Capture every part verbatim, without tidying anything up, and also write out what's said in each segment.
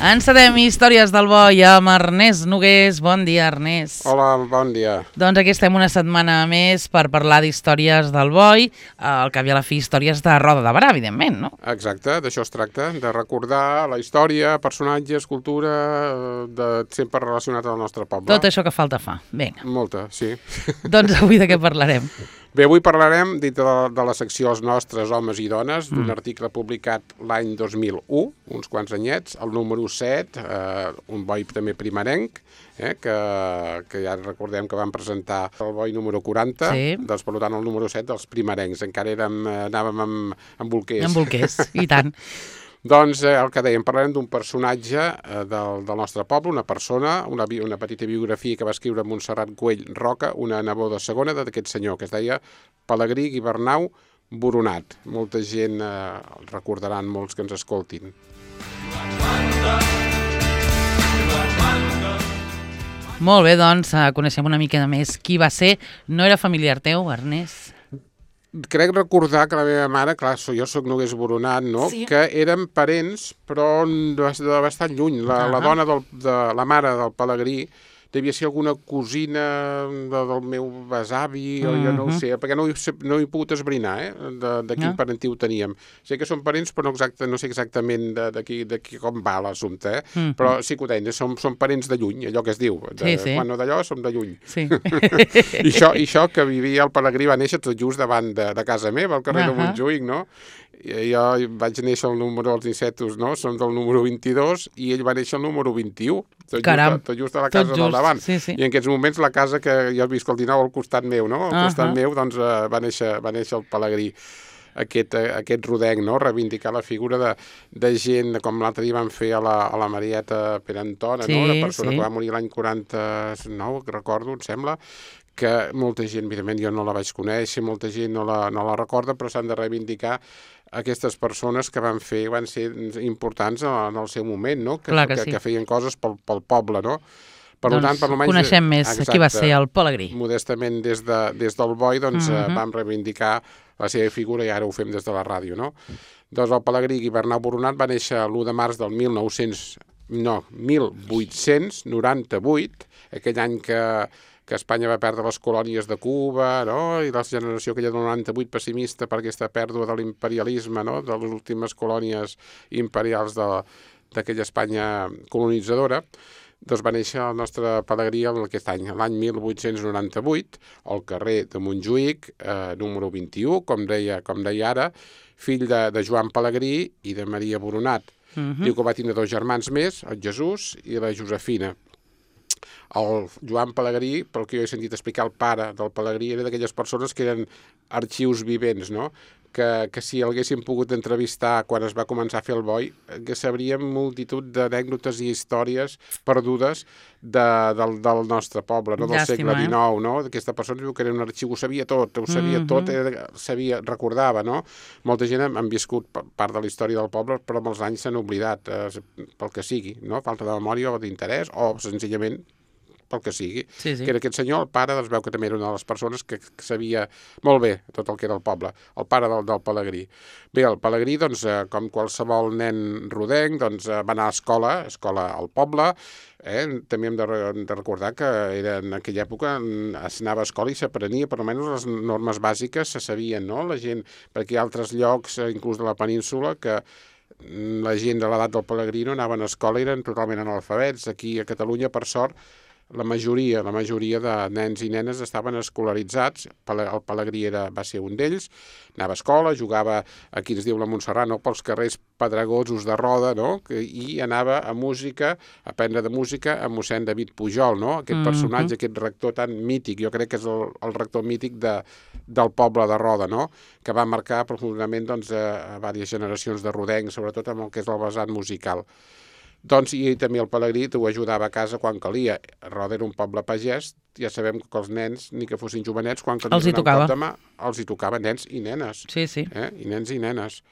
Encedem Històries del Boi amb Ernest Nogués. Bon dia, Ernest. Hola, bon dia. Doncs aquí estem una setmana més per parlar d'històries del Boi, al cap i a la fi històries de Roda de Berà, evidentment, no? Exacte, d'això es tracta, de recordar la història, personatges, cultura, de sempre relacionat al nostre poble. Tot això que falta fa. Vinga. Molta, sí. Doncs avui de què parlarem? Bé, avui parlarem, dintre de, de la secció Els nostres homes i dones, d'un Mm. article publicat l'any dos mil u, uns quants anyets, el número set, eh, un boi també primerenc, eh, que, que ja recordem que van presentar el boi número quaranta, Sí. doncs per tant el número set dels primerencs, encara érem, eh, anàvem amb, amb bolquers. En bolquers, i tant. Doncs eh, el que dèiem, parlarem d'un personatge eh, del, del nostre poble, una persona, una, bi- una petita biografia que va escriure Montserrat Güell Roca, una neboda segona d'aquest senyor, que es deia Pelegrí Guibernau Boronat. Molta gent eh, el recordaran, molts que ens escoltin. Molt bé, doncs, eh, coneixem una mica més qui va ser. No era familiar teu, Ernest? Crec recordar que la meva mare, clar, so- jo soc Nogués Boronat, no? Sí. Que eren parents, però de, de bastant lluny. La, la Ah. dona, del, de, la mare del Pelegrí, devia ser alguna cosina de, del meu besavi, o jo no ho Mhm. sé, perquè no, hi sé- no he pogut esbrinar, eh, de, de quin Ah. parentiu teníem. Sé que són parents, però no, exacte, no sé exactament de, de, qui, de qui, com va l'assumpte, eh? Mhm. Però sí que ho deien, som, som parents de lluny, allò que es diu. De, Sí, sí. Quan no d'allò, som de lluny. Sí. I això, i això que vivia el Pelegrí va néixer tot just davant de, de casa meva, al carrer de Ahà. Montjuïc, no? I jo vaig néixer el número dels insetos, no? Som del número vint-i-dos i ell va néixer el número vint-i-u, tot, Caram. just, a- tot just a la Tot casa del just, davant. sí, sí. I en aquests moments la casa que jo visc al dinou al costat meu, no? Al costat Ahà. meu, doncs, eh, va, néixer, va néixer el Pelegrí. Aquest, eh, aquest rodenc, no? Reivindicar la figura de, de gent, com l'altre dia van fer a la, a la Marieta Perantona, Sí, no? Una persona sí. que va morir l'any quaranta-nou, que recordo, em sembla, que molta gent, evidentment, jo no la vaig conèixer, molta gent no la, no la recorda, però s'han de reivindicar aquestes persones que van fer, van ser importants en el seu moment, no? Que, Clar que que, sí. que feien coses pel, pel poble, no? Per Doncs tant, per almenys, coneixem més qui va ser el Pelegrí. Modestament des, de, des del Boi doncs, uh Mhm. -huh. vam reivindicar la seva figura i ara ho fem des de la ràdio, no? Doncs el Pelegrí Guibernau Boronat va néixer l'u de març del mil nou-cents, no, mil vuit-cents noranta-vuit, aquell any que, que Espanya va perdre les colònies de Cuba, no? I la generació aquella del noranta-vuit pessimista per aquesta pèrdua de l'imperialisme, no? De les últimes colònies imperials de- d'aquella Espanya colonitzadora. Doncs va néixer el nostre Pelegrí aquest any, l'any mil vuit-cents noranta-vuit, al carrer de Montjuïc, eh, número vint-i-u, com deia, com deia ara, fill de, de Joan Pelegrí i de Maria Boronat. Mhm. Diu que va tindre dos germans més, el Jesús i la Josefina. El Joan Pelegrí, pel que jo he sentit explicar, el pare del Pelegrí era d'aquelles persones que eren arxius vivents, no? Que, que si l'haguéssim pogut entrevistar quan es va començar a fer el Boi, que sabríem multitud d'anècdotes i històries perdudes de, del, del nostre poble, no? Del Llàstima, segle eh? dinou, no? Aquesta persona diu que era un arxiu, ho sabia tot, ho sabia Mhm. tot, era, sabia, recordava, no? Molta gent han, han viscut pa- part de la història del poble, però amb els anys s'han oblidat, eh, pel que sigui, no? Falta de memòria o d'interès, o senzillament pel que sigui, Sí, sí. que era aquest senyor, el pare, doncs veu que també era una de les persones que, que sabia molt bé tot el que era el poble, el pare del, del Pelegrí. Bé, el Pelegrí, doncs, eh, com qualsevol nen rodenc, doncs, eh, va anar a escola, escola al poble, eh? També hem de, re- de recordar que era en aquella època mm, es anava a escola i s'aprenia, per almenys les normes bàsiques se sabien, no? La gent, perquè hi ha altres llocs, eh, inclús de la península, que mm, la gent de l'edat del Pelegrí no anaven a escola i eren totalment analfabets. Aquí a Catalunya, per sort, la majoria, la majoria de nens i nenes estaven escolaritzats. Pele- El Pelegrí era, va ser un d'ells, anava a escola, jugava, aquí ens diu la Montserrat, no? Pels carrers pedregosos de Roda, no? Que, i anava a música, a aprendre de música amb mossèn David Pujol, no? Aquest Mhm. personatge, aquest rector tan mític, jo crec que és el, el rector mític de, del poble de Roda, no? Que va marcar profundament doncs, a, a diverses generacions de rodencs, sobretot amb el que és el vessant musical. Doncs, i també el Pelegrí ho ajudava a casa quan calia. Roda era un poble pagès, ja sabem que els nens, ni que fossin jovenets, quan calia Els hi donar un tocava. cop de mà, els hi tocava nens i nenes. Sí, sí. Eh? I nens i nenes.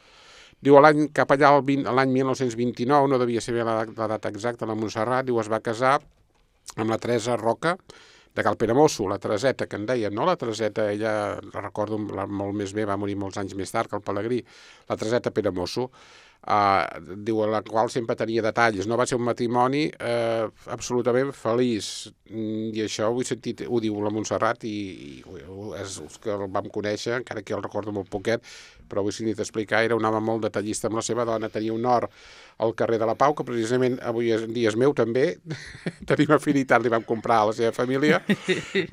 Diu, a l'any cap allà, al vint- a l'any mil nou-cents vint-i-nou, no devia ser bé la, la data exacta, la Montserrat, diu, es va casar amb la Teresa Roca, de Cal Peramosso, la Tereseta, que en dèiem, no? La Tereseta, ella, la recordo la, molt més bé, va morir molts anys més tard que el Pelegrí, la Tereseta Peramosso. Uh, diu, la qual sempre tenia detalls. No va ser un matrimoni uh, absolutament feliç, i això ho he sentit, ho diu la Montserrat, i, i és els que el vam conèixer, encara que jo el recordo molt poquet, però ho he sentit explicar, era un home molt detallista amb la seva dona, tenia un hort al carrer de la Pau, que precisament avui en dia és meu també, tenim afinitat, li vam comprar a la seva família.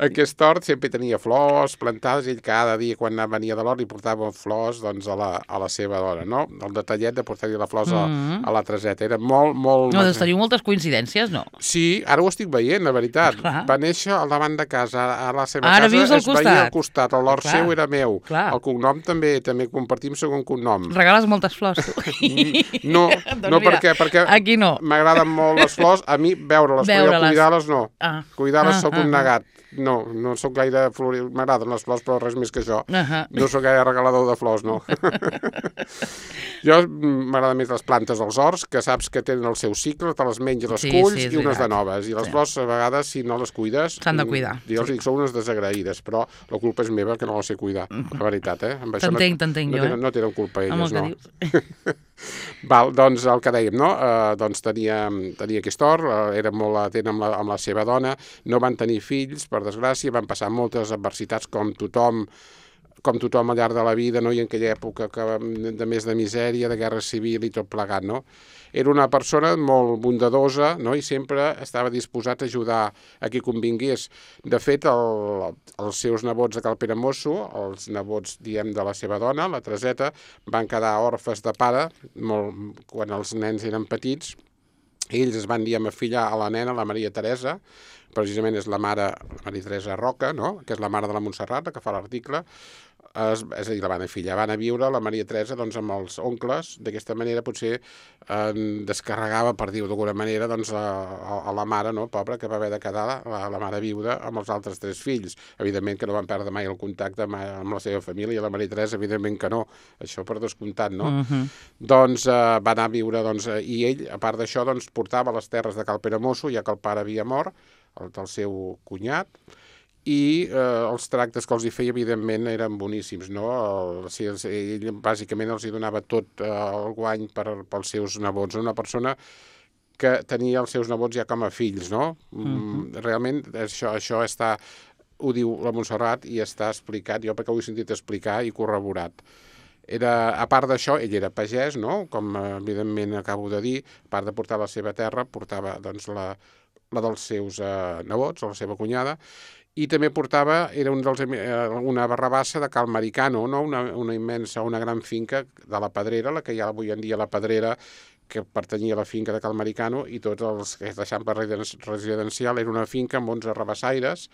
Aquest hort sempre tenia flors plantades, i ell cada dia quan venia de l'hort li portava flors doncs, a, la, a la seva dona, no? El detallet de portar-li les flors mm-hmm. a, a la Treseta. Era molt, molt... No, doncs teniu moltes coincidències, no? Sí, ara ho estic veient, la veritat. Clar. Va néixer al davant de casa, a la seva ara casa es veia al costat, l'hort seu era meu. Clar. El cognom també, també compartim segon cognom. Regales moltes flors, tu. No, no perquè, perquè aquí no. M'agraden molt les flors, a mi veure-les, però jo cuidar-les no. Ah. Cuidar-les ah, soc un ah, negat. No, no sóc gaire floril, m'agraden les flors, però res més que això. Uh -huh. No sóc gaire regalador de flors, no. Jo m'agraden més les plantes dels horts, que saps que tenen el seu cicle, te les menges, les sí, culls sí, i unes de noves. I les sí. flors, a vegades, si no les cuides... S'han de cuidar. Jo els sí. dic, són unes desagraïdes, però la culpa és meva, que no les sé cuidar, la veritat, eh? T'entenc, t'entenc no, jo, no, eh? No tenen culpa elles, no. Que Val, doncs el que dèiem, no? Uh, doncs tenia, tenia aquest hort, uh, era molt atent amb la, amb la seva dona, no van tenir fills, per desgràcia, van passar moltes adversitats com tothom, com tothom al llarg de la vida, no? I en aquella època que, de més de misèria, de guerra civil i tot plegat, no? Era una persona molt bondadosa, no? I sempre estava disposat a ajudar a qui convingués. De fet, el, els seus nebots de Cal Peramosso, els nebots, diem, de la seva dona, la Treseta, van quedar orfes de pare molt, quan els nens eren petits. Ells es van, diguem, afillar a la nena, la Maria Teresa, precisament és la mare, la Maria Teresa Roca, no? Que és la mare de la Montserrat, que fa l'article. És, és a dir, la van afillar, van a viure la Maria Teresa doncs, amb els oncles. D'aquesta manera potser eh, descarregava, per dir-ho d'alguna manera, doncs, a, a la mare, no, pobra, que va haver de quedar la, la mare viuda amb els altres tres fills. Evidentment que no van perdre mai el contacte amb, amb la seva família, la Maria Teresa, evidentment que no, això per descomptat, no? Uh-huh. Doncs eh, va anar a viure, doncs, i ell, a part d'això, doncs, portava les terres de Cal Peramosso, ja que el pare havia mort, el del seu cunyat, i eh, els tractes que els hi feia, evidentment, eren boníssims, no? El, si els, ell, bàsicament, els hi donava tot eh, el guany per, pels seus nebots. Una persona que tenia els seus nebots ja com a fills, no? Uh-huh. Realment, això, això està, ho diu la Montserrat i està explicat, jo perquè ho he sentit explicar i corroborat. Era, a part d'això, ell era pagès, no? Com evidentment acabo de dir, a part de portar la seva terra, portava doncs, la, la dels seus eh, nebots, la seva cunyada, i també portava, era un dels, una barrabassa de Cal Maricano, no? una, una immensa, una gran finca de la Pedrera, la que hi ha avui en dia la Pedrera, que pertanyia a la finca de Cal Maricano, i tots els que deixant per residencial era una finca amb onze rabassaires.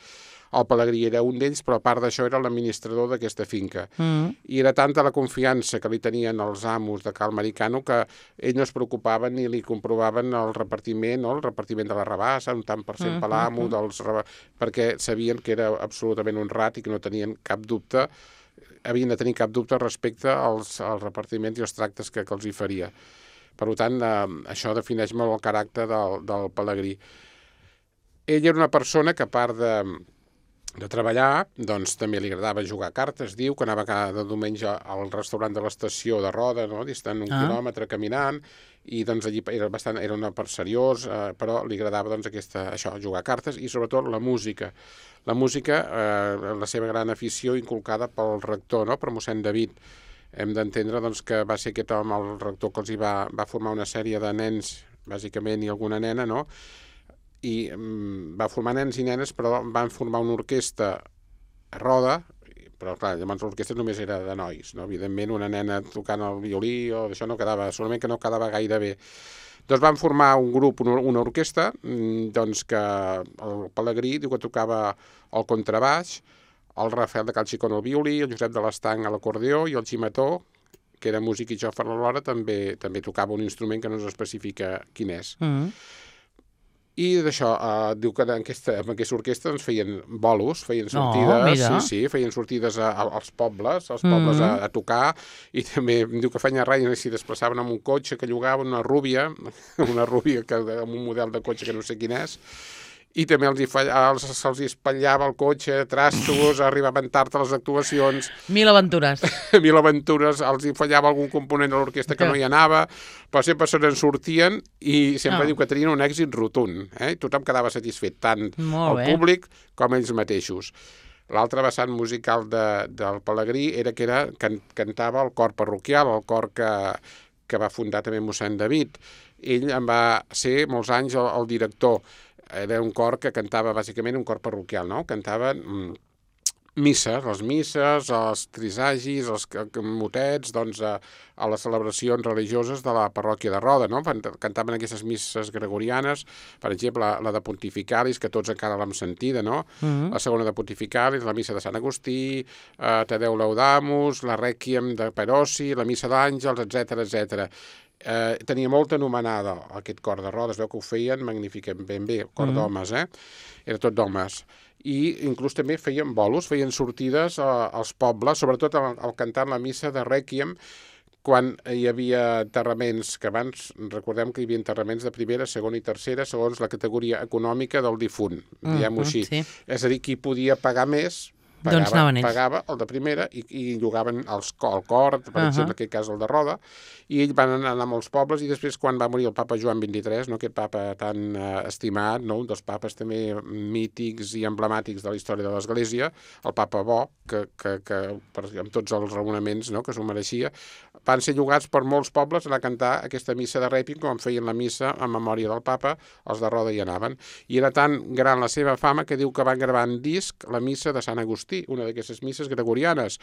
El Pelegrí era un d'ells, però a part d'això era l'administrador d'aquesta finca. Mm. I era tanta la confiança que li tenien els amos de Cal Maricano que ell no es preocupaven ni li comprovaven el repartiment, no? El repartiment de la rabassa, un tant per cent per l'amo, dels perquè sabien que era absolutament honrat i que no tenien cap dubte, havien de tenir cap dubte respecte als, als repartiments i els tractes que, que els hi faria. Per tant, eh, això defineix molt el caràcter del, del Pelegrí. Ell era una persona que, a part de de treballar, doncs també li agradava jugar a cartes, diu, que anava cada diumenge al restaurant de l'estació de Roda, no? Distant un ah. quilòmetre caminant, i doncs allí era bastant, era una part seriós, eh, però li agradava doncs aquesta, això, jugar a cartes, i sobretot la música. La música, eh, la seva gran afició inculcada pel rector, no? Per mossèn David. Hem d'entendre doncs, que va ser aquest home, el rector, que els hi va, va formar una sèrie de nens, bàsicament, i alguna nena, no? I um, va formar nens i nenes, però van formar una orquestra a Roda, però clar, llavors l'orquestra només era de nois, no? Evidentment una nena tocant el violí o això no quedava, solament que no quedava gaire bé. Doncs van formar un grup, una, una orquestra, doncs que el Pelegrí diu que tocava el contrabaix, el Rafael de Cal Xicón al violí, el Josep de l'Estanc a l'acordió i el Ximató, que era músic i xòfer alhora, també, també tocava un instrument que no s'especifica quin és. Mm-hmm. I d'això, eh, diu que en aquesta, en aquesta orquestra doncs, feien bolos, feien sortides, oh, sí, sí, feien sortides a, a, als pobles, als pobles mm-hmm. a, a tocar, i també diu que feien res, i s'hi desplaçaven amb un cotxe que llogaven, una rúbia, una rúbia que, amb un model de cotxe que no sé quin és, i també els hi fallava, els, se'ls hi espatllava el cotxe, trastos, arribaven tard a les actuacions. Mil aventures. Mil aventures, els hi fallava algun component de l'orquestra que no hi anava, però sempre se n'en sortien i sempre oh. diu que tenien un èxit rotund. Eh? Tothom quedava satisfet, tant Molt el bé. públic com ells mateixos. L'altre vessant musical de, del Pelegrí era que era, can, cantava el cor parroquial, el cor que, que va fundar també mossèn David. Ell en va ser molts anys el, el director. Era un cor que cantava bàsicament un cor parroquial, no? Cantaven mm, misses, les misses, els trisagis, els motets, doncs a, a les celebracions religioses de la parròquia de Roda, no? Cantaven aquestes misses gregorianes, per exemple, la, la de Pontificalis, que tots encara l'hem sentida, no? Uh-huh. La segona de Pontificalis, la missa de Sant Agustí, eh, Tadeu Laudamus, la Rèquiem de Perosi, la missa d'Àngels, etcètera, etcètera. Eh, tenia molta anomenada aquest cor de Roda, es veu que ho feien magníficament ben bé, cor mm. d'homes, eh? Era tot d'homes. I inclús també feien bolos, feien sortides a, als pobles, sobretot al, al cantar la missa de Rèquiem, quan hi havia enterraments, que abans recordem que hi havia enterraments de primera, segona i tercera, segons la categoria econòmica del difunt, mm, diguem-ho així. Sí. És a dir, qui podia pagar més, pagava, doncs pagava el de primera i, i llogaven els, el cor, per uh-huh. exemple, en aquest cas el de Roda, i ells van anar a molts pobles i després quan va morir el papa Joan vint-i-tres, no, aquest papa tan eh, estimat, no, un dels papes també mítics i emblemàtics de la història de l'Església, el papa bo, que, que, que per, amb tots els raonaments, no, que s'ho mereixia, van ser llogats per molts pobles a cantar aquesta missa de Rèquiem, com feien la missa en memòria del papa, els de Roda hi anaven. I era tan gran la seva fama que diu que van gravar en disc la missa de Sant Agustí, una d'aquestes misses gregorianes.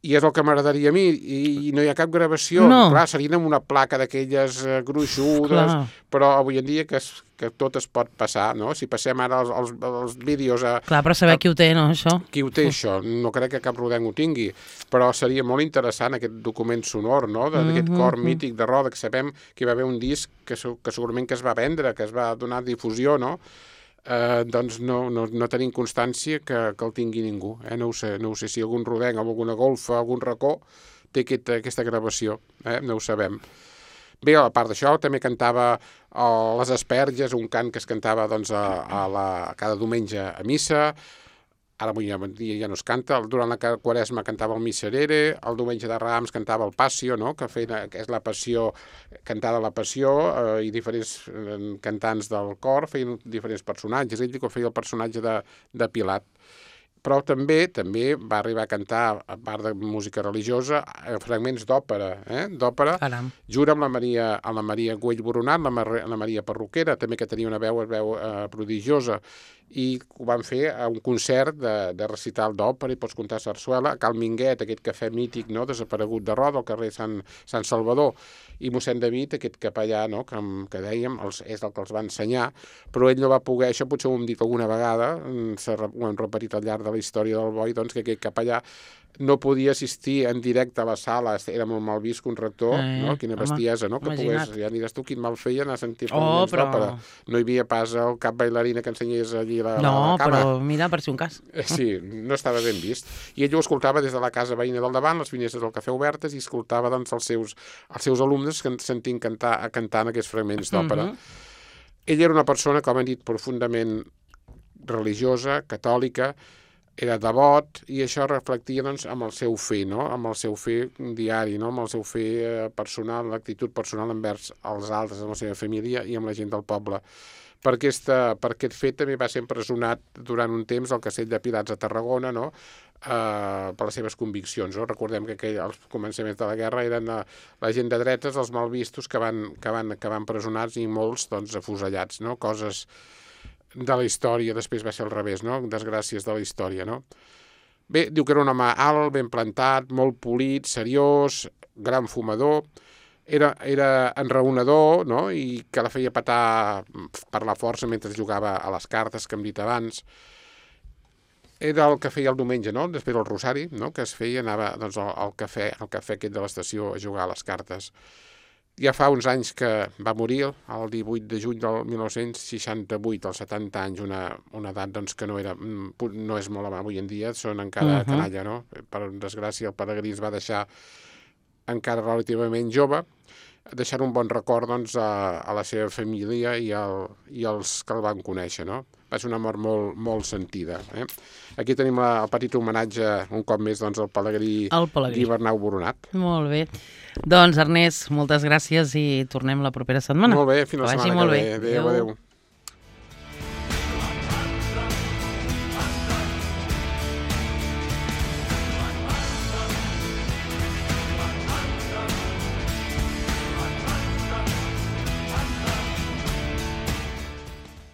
I és el que m'agradaria a mi, i, i no hi ha cap gravació. No. Clar, serien amb una placa d'aquelles eh, gruixudes, clar. Però avui en dia que, es, que tot es pot passar, no? Si passem ara els, els, els vídeos a... Clar, però saber a, qui ho té, no, això? Qui ho té, això? No crec que cap rodenc ho tingui, però seria molt interessant aquest document sonor, no?, d'aquest mm-hmm. cor mític de Roda, que sabem que hi va haver un disc que, que segurament que es va vendre, que es va donar difusió, no?, Eh, doncs no, no, no tenim constància que, que el tingui ningú. Eh? No ho sé, no ho sé si algun rodenc, alguna golfa, algun racó té aquest, aquesta gravació, eh? No ho sabem. Bé, a part d'això, també cantava a les Asperges, un cant que es cantava doncs, a, a la, cada diumenge a missa. Ara avui ja, ja no es canta, durant la Quaresma cantava el Miserere, el diumenge de Rams cantava el Passio, no? que, feia, que és la passió, cantava la passió, eh, i diferents eh, cantants del cor feien diferents personatges. Ell diu que feia el personatge de, de Pilat. Però també també va arribar a cantar, a part de música religiosa, fragments d'òpera, eh? d'òpera, jura amb la Maria, amb la Maria Güell Boronat, la, Mar la Maria Perruquera, també que tenia una veu, veu eh, prodigiosa, i ho van fer a un concert de, de recital d'òpera, i pots contar sarsuela, a Cal Minguet, aquest cafè mític, no?, desaparegut de Roda, al carrer Sant, Sant Salvador, i mossèn David, aquest capellà, no?, que, que dèiem, els, és el que els va ensenyar, però ell no va poder, això potser ho hem dit alguna vegada, ho hem repetit al llarg de la història del boi, doncs que aquest capellà no podia assistir en directe a la sala, era molt mal vist que un rector, eh, no? Quina bestiesa, no? Que pogués, ja diràs tu quin mal feia anar a sentir fragments oh, però... d'òpera. No hi havia pas el cap bailarina que ensenyés allí la, no, la, la cama. No, però mira, per si un cas. Sí, no estava ben vist. I ell ho escoltava des de la casa veïna del davant, les finestres del cafè obertes, i escoltava doncs, els, seus, els seus alumnes que sentint cantar, cantant aquests fragments d'òpera. Mm-hmm. Ell era una persona, com hem dit, profundament religiosa, catòlica, era devot, i això reflectia doncs, amb el seu fer, no? Amb el seu fer diari, no? Amb el seu fer eh, personal, l'actitud personal envers els altres, amb la seva família i amb la gent del poble. Per, aquesta, per aquest fet també va ser empresonat durant un temps al Castell de Pilats a Tarragona, no? eh, per les seves conviccions. No? Recordem que aquell, als començaments de la guerra eren la, la gent de dretes, els malvistos, que van, que van acabar empresonats i molts doncs, afusellats, no? Coses de la història, després va ser al revés, no? Desgràcies de la història, no? Bé, diu que era un home alt, ben plantat, molt polit, seriós, gran fumador, era, era enraonador, no? I que la feia petar per la força mentre jugava a les cartes, que hem dit abans. Era el que feia el diumenge, no? Després el rosari, no? Que es feia, anava doncs, al, al cafè, al cafè aquest de l'estació a jugar a les cartes. Ja fa uns anys que va morir, el divuit de juny del mil nou-cents seixanta-vuit, als setanta anys, una, una edat doncs, que no, era, no és molt avui en dia, són encara uh-huh. canalla, no? Per desgràcia, el Pelegrí es va deixar encara relativament jove, deixant un bon record doncs, a, a la seva família i, al, i als que el van conèixer, no? Va ser una mort molt, molt sentida. Eh? Aquí tenim la, el petit homenatge, un cop més, doncs, al pelegrí, pelegrí. Guibernau Boronat. Molt bé. Doncs, Ernest, moltes gràcies i tornem la propera setmana. Molt bé, fins la setmana que ve. Adéu, adéu.